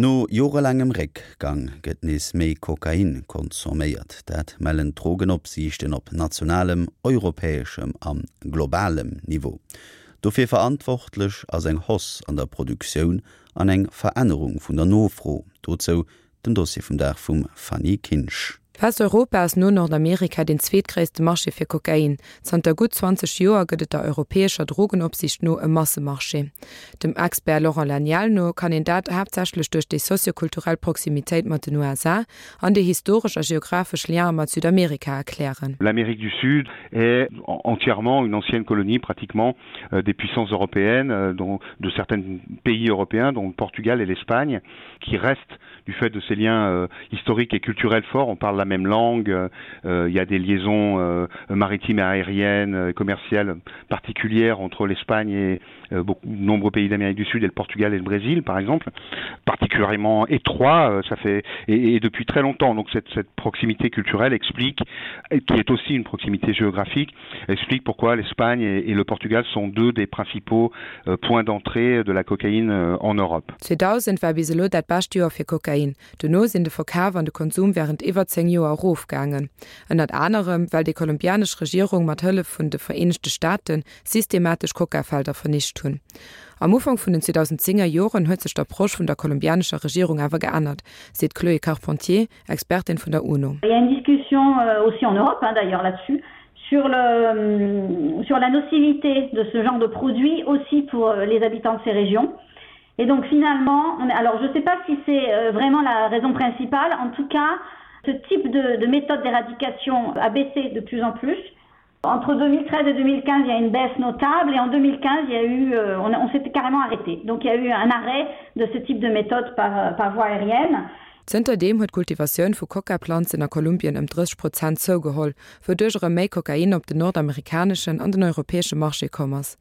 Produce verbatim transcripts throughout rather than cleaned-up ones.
No jorelaangem Réckgang gëtt nees méi Kokain consomméiert. Dat mellen d'Drogenopsiichten op nationalem, europäeschem a globalem Niveau. Dofir verantwortlech ass eng Hausse an der Produktioun an eng Verännerung vun der Nofro. Dozou den Dossier vum Dag vum Fanny Kinsch. Westeuropa ass no Nordamerika den zweetgréisste Marché fir Kokain. Zanter gutt zwanzeg Joer gëtt et der europäescher Drogenopsiicht no e Massemarché. Dem Expert Laurent Laniel no kann een dat haaptsächlech duerch déi soziokulturell Proximitéit mat den U S A an déi historesch a geographesch Liene mat Südamerika erklären. L'Amérique du Sud est entièrement une ancienne colonie pratiquement euh, des puissances européennes, euh, dont, de certains pays européens, dont le Portugal et l'Espagne, qui restent du fait de ces liens euh, historiques et culturels forts. On parle la même langue, euh, il y a des liaisons euh, maritimes et aériennes, euh, commerciales particulières entre l'Espagne et euh, beaucoup, de nombreux pays d'Amérique du Sud et le Portugal et le Brésil, par exemple, particulièrement étroit, euh, ça fait et, et depuis très longtemps. Donc cette, cette proximité culturelle explique, et qui est aussi une proximité géographique, explique pourquoi l'Espagne et, et le Portugal sont deux des principaux euh, points d'entrée de la cocaïne euh, en Europe. zweedausend war bis elo dat bescht Joer fir Kokain. Dono sinn de Verkaf an de Konsum wärend iwwer zéng Joer erofgaangen. Ënnert anerem, well déi kolumbianesch Regierung mat Hëllef vun de Vereenegte Staaten systematesch Kokafelder vernicht hunn. Am Ufank vun den zweedausendzenger Joren huet sech d'Approche vun der kolumbianescher Regierung awer geännert, seet d'Chloé Carpentier, Expertin vun der UNO. Il y a une discussion euh, aussi en Europe hein, d'ailleurs là-dessus sur, le, sur la nocivité de ce genre de produit aussi pour euh, les habitants de ces régions. Et donc finalement, on, alors je ne sais pas si c'est euh, vraiment la raison principale, en tout cas, ce type de, de méthode d'éradication a baissé de plus en plus. Entre deux mille treize et deux mille quinze, il y a une baisse notable et en deux mille quinze, il y a eu, euh, on, on s'était carrément arrêté. Donc il y a eu un arrêt de ce type de méthode par, par voie aérienne. Zënterdeem huet d'Kultivatioun vu Kokaplanzen a Kolumbien ëm drësseg Prozent zougeholl, wouduerch erëm méi Kokain op den nordamerikaneschen an den europäesche Marché komm ass.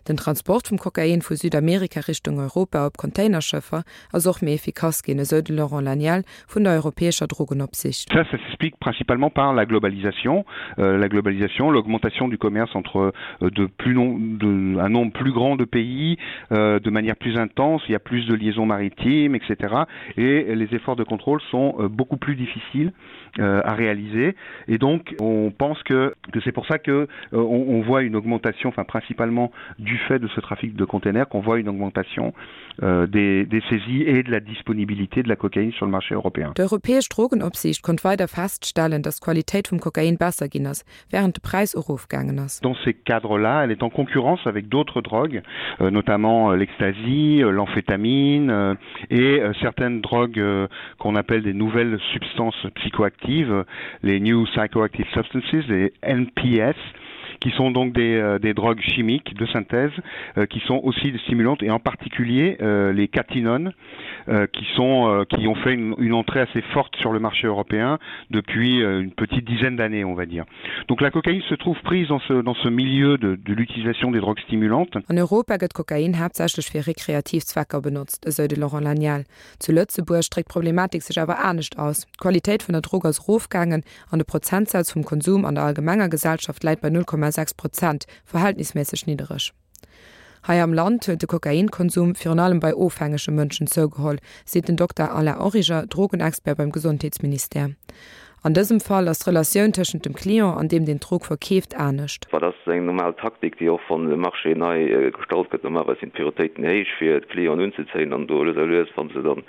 Den Transport vum Kokain vu Südamerika Richtung Europa op Containerschëffer ass och méi effikass ginn, esou de Laurent Laniel vun der europäescher Drogenopsiicht. Ça, ça s'explique principalement par la globalisation, euh, la globalisation, l'augmentation du commerce entre euh, de plus non, de, un nombre plus grand de pays, euh, de manière plus intense, il y a plus de liaisons maritimes, et cetera. Et les efforts de contrôle sont euh, beaucoup plus difficiles euh, à réaliser. Et donc, on pense que, que c'est pour ça que euh, on, on voit une augmentation, enfin principalement du fait de ce trafic de containers, qu'on voit une augmentation euh, des, des saisies et de la disponibilité de la cocaïne sur le marché européen. D'europäesch Drogenopsiicht konnt weider feststellen, dass d'Qualitéit vum Kokain besser ginn ass, wärend de Präis erofgaangen ass. Dans ces cadres-là, elle est en concurrence avec d'autres drogues, euh, notamment euh, l'ecstasy, euh, l'amphétamine euh, et euh, certaines drogues euh, qu'on appelle des nouvelles substances psychoactives, les New Psychoactive Substances, les N P S, qui sont donc des, euh, des drogues chimiques de synthèse euh, qui sont aussi des stimulantes et en particulier euh, les cathinones euh, qui sont euh, qui ont fait une, une entrée assez forte sur le marché européen depuis euh, une petite dizaine d'années, on va dire. Donc la cocaïne se trouve prise dans ce dans ce milieu de, de l'utilisation des drogues stimulantes. An Europa gëtt Kokain haaptsächlech fir rekreativ Zwecker benotzt, esou de Laurent Laniel. Zu Lëtzebuerg dréckt d'Problematik sech awer anescht aus. D'Qualitéit vun der Drog ass erofgaangen an de Prozentsaz vum Konsum an der allgemenger Gesellschaft läit bei null Komma sechs Prozent, verhältnisméisseg niddereg. Hei am Land huet de Kokainkonsum virun allem bei ofhängege Mënschen zougeholl, seet den Dokter Alain Origer, Drogenexpert beim Gesondheetsministère. An dësem Fall ass d'Relatioun tëschent dem Client an deem deen d'Drog verkeeft anescht. Well dat ass eng normal Taktik, déi och wann de Marché nei äh, gestalt gëtt, normalerweis sinn d'Prioritéiten héich fir d'Clienten unzezéien an do lues a lues, wann se dann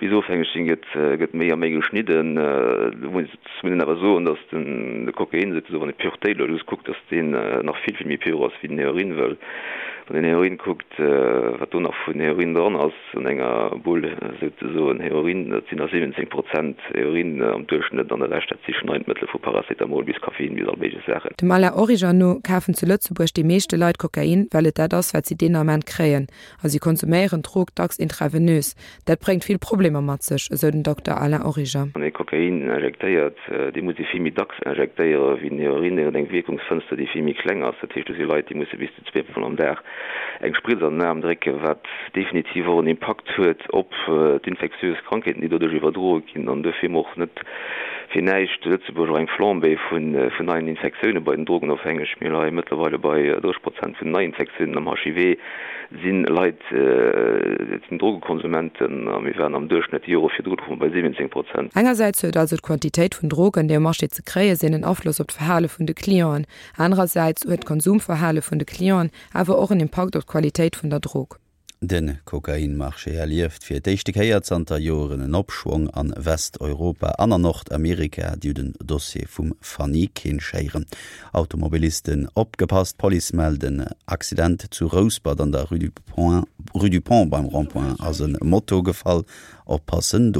bis ofhängeg sinn, gëtt äh, gëtt méi a méi geschnidden. Äh, do muss een awer soen, dass den de Kokain souzesoen, wann ee Puretéit elo just kuckt, dass deen nach vill vill méi pur ass wéi den Heroin, well wann een Heroin kuckt, wat do nach vun Heroin dran ass an enger Bull souzesoen Heroin, dat sinn nach siwwenzéng Prozent Heroin am Duerchschnëtt an de Rescht dat si Schneidmëttel vu Paracetamol bis Koffein bis all méiglech Saachen. Dem Alain Origer no kafen zu Lëtzebuerg déi meeschte Leit Kokain, well et dat ass, wat si deen Ament kréien. A si konsuméieren d'Drog dacks intravenös. Dat bréngt vill Problemer mat sech, esou den Dokter Alain Origer. Wann ee Kokain injektéiert, dee muss ee vill méi dacks injektéiere wéi den Heroin, deen huet eng Wierkungsfënster, déi vill méi kleng ass. Dat heescht, do si Leit, déi musse bis zu zwee Mol am Dag eng Spritz an den Aarm drécken, wat definitiv och en Impakt huet op d'infektiös Krankheeten, déi doduerch iwwerdroe ginn an dofir och net fir näischt zu Lëtzebuerg och eng Flambée vun vun neien Infektioune bei den Drogenofhängeg. Mir leie mëttlerweile bei drësseg Prozent vun den Neiinfektiounen am H I V si Leit, dat sinn Drogekonsumenten a mir waren am Duerchschnëtt déi Jore virdru louche mer bei siwwenzéng Prozent. Engersäits huet also d'Quantitéit vun Drogen, déi um Marché ze kréie sinn, en Afloss op d'Verhale vun de Clienten. Anerersäits huet d'Konsumverhale vun de Clienten awer och en Impakt op d'Qualitéit vun der Drog. De Kokainmarché erlieft fir d'éischte Kéier zanter Joren en Opschwong an Westeuropa an an Nordamerika, Dir hutt den Dossier vum Fanny Kinsch héieren. Automobilisten opgepasst, Police mellt en Accident zu Rouspert an der Rue du Pont, Rue du Pont beim Rond-point ass e Moto gefall, oppassen do.